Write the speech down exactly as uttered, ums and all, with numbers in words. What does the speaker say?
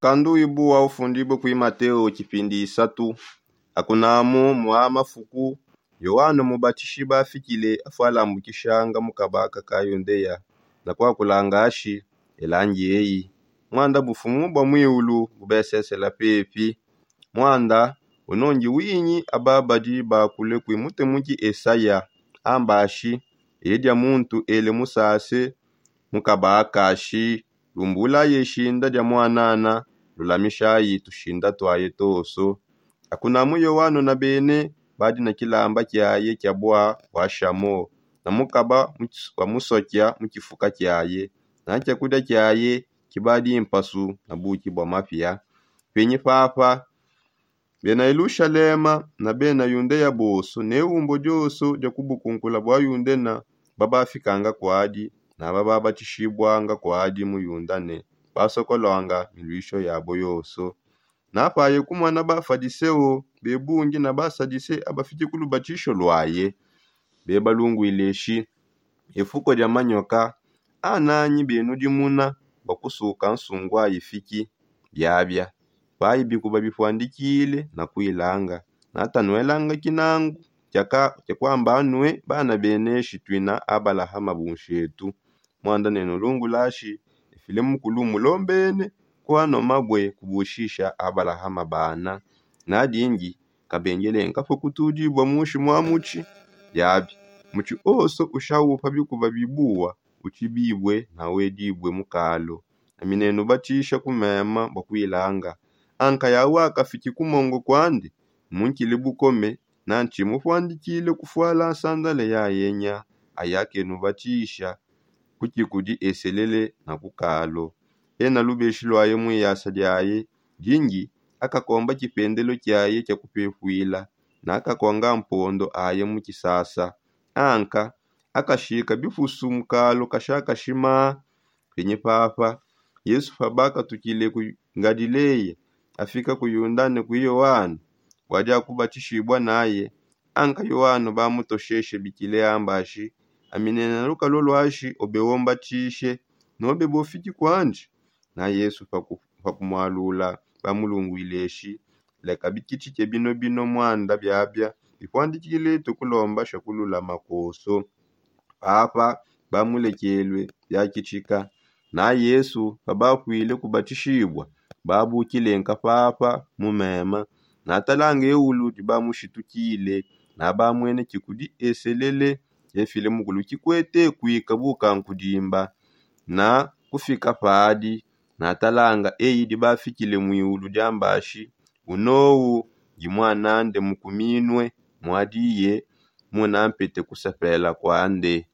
Mukandu wibu wa ufundibue kui mateo tshipindi isatu. Akunamu mua mafuku, yohane mubatishiba afikile afualambukishanga mu kabaka ka yudea, na kuakulanga ashi, elangi eyi, muanda bufumu bua muiulu bubesesela pepi. Muanda unongi winyi aba badi bakule kui mutemuki esaya, amba ashi, eyi dia muntu ele musase mu kabaka ashi, lumbulaye shinda dia muanana, lulamishayi tushinda tuaye toso. Akunamu yohane na bene badi na kilamba kiaye kia bua buashamo, na mukaba wa musokia mu kifuka kiaye, na kiakudia kiaye kibadi mpasu na buki bua mapia. Penyi papa, bena yelushalema na bena yudea bonso ne umbo dionso dia kubukunkula bua yudena, babafikanga kuadi na bababatishibwanga kuadi mu yudane, basokolwanga miluisho yabo yonso. Napaye kumona bafadiseo bebungi na basadise abafiki ku lubatisho luaye, bebalunguile shi, efuko dia manyoka ananyi benudimuna bua kusuka nsungu ayi fiki? Biabia payi bikuba bipuandikile na kuilanga, natanuelanga kinangu kia kuamba anue bana beneshi tuina abalahama bunshetu. Muanda nenulungulashi, efile mukulu mulombene kuanua mabue kubushisha abalahama bana. Nadingi kabengelenka pa kutudibua mushi mua mutshi. Biabi mutshi onso ushaupa bikuba bibuwa utshibibue na wedibue mu kalu. Ami nenubatisha ku mema bua kuilanga, anka yawu akafiki ku mongo kuandi, munkile bukome, nantshi mupuandikile kufuala nsandale yayenya. Ayakenubatisha ku kikudi eselele na ku kalu. Ena lubeshi luaye mu iyasa diaye dingi, akakomba kipendelo kiaye kia kupepuila, na akakonga mpondo aye mu kisasa. Anka akashika bipusu mu kalu kashakashima. Penyi papa, yesu pabakatukile ku ngalileya, afika ku yudane ku yohane bua dia kubatishibua naye. Anka yohane bamutosheshe bikile amba ashi, ami nena lukalu luashi ube umbatishe, nobe bofiki kuandi? Na yesu pakumualula, bamulunguile eshi, leka bikitshike bino bino muanda biabia bipuandikile tukulomba shakululama konso. Papa bamulekelue biakitshika. Na yesu pabakuile kubatishibua, babukile nkapapa mu mema, natalanga eulu dibamushitukile, na bamwene kikudi eselele efile mukulu kikwete kuika bukankudimba. Na kufika padi, natalanga eyi dibafikile muiulu diambashi, unowu ndi muanande mukuminue muadiye, munampete kusepela kuande.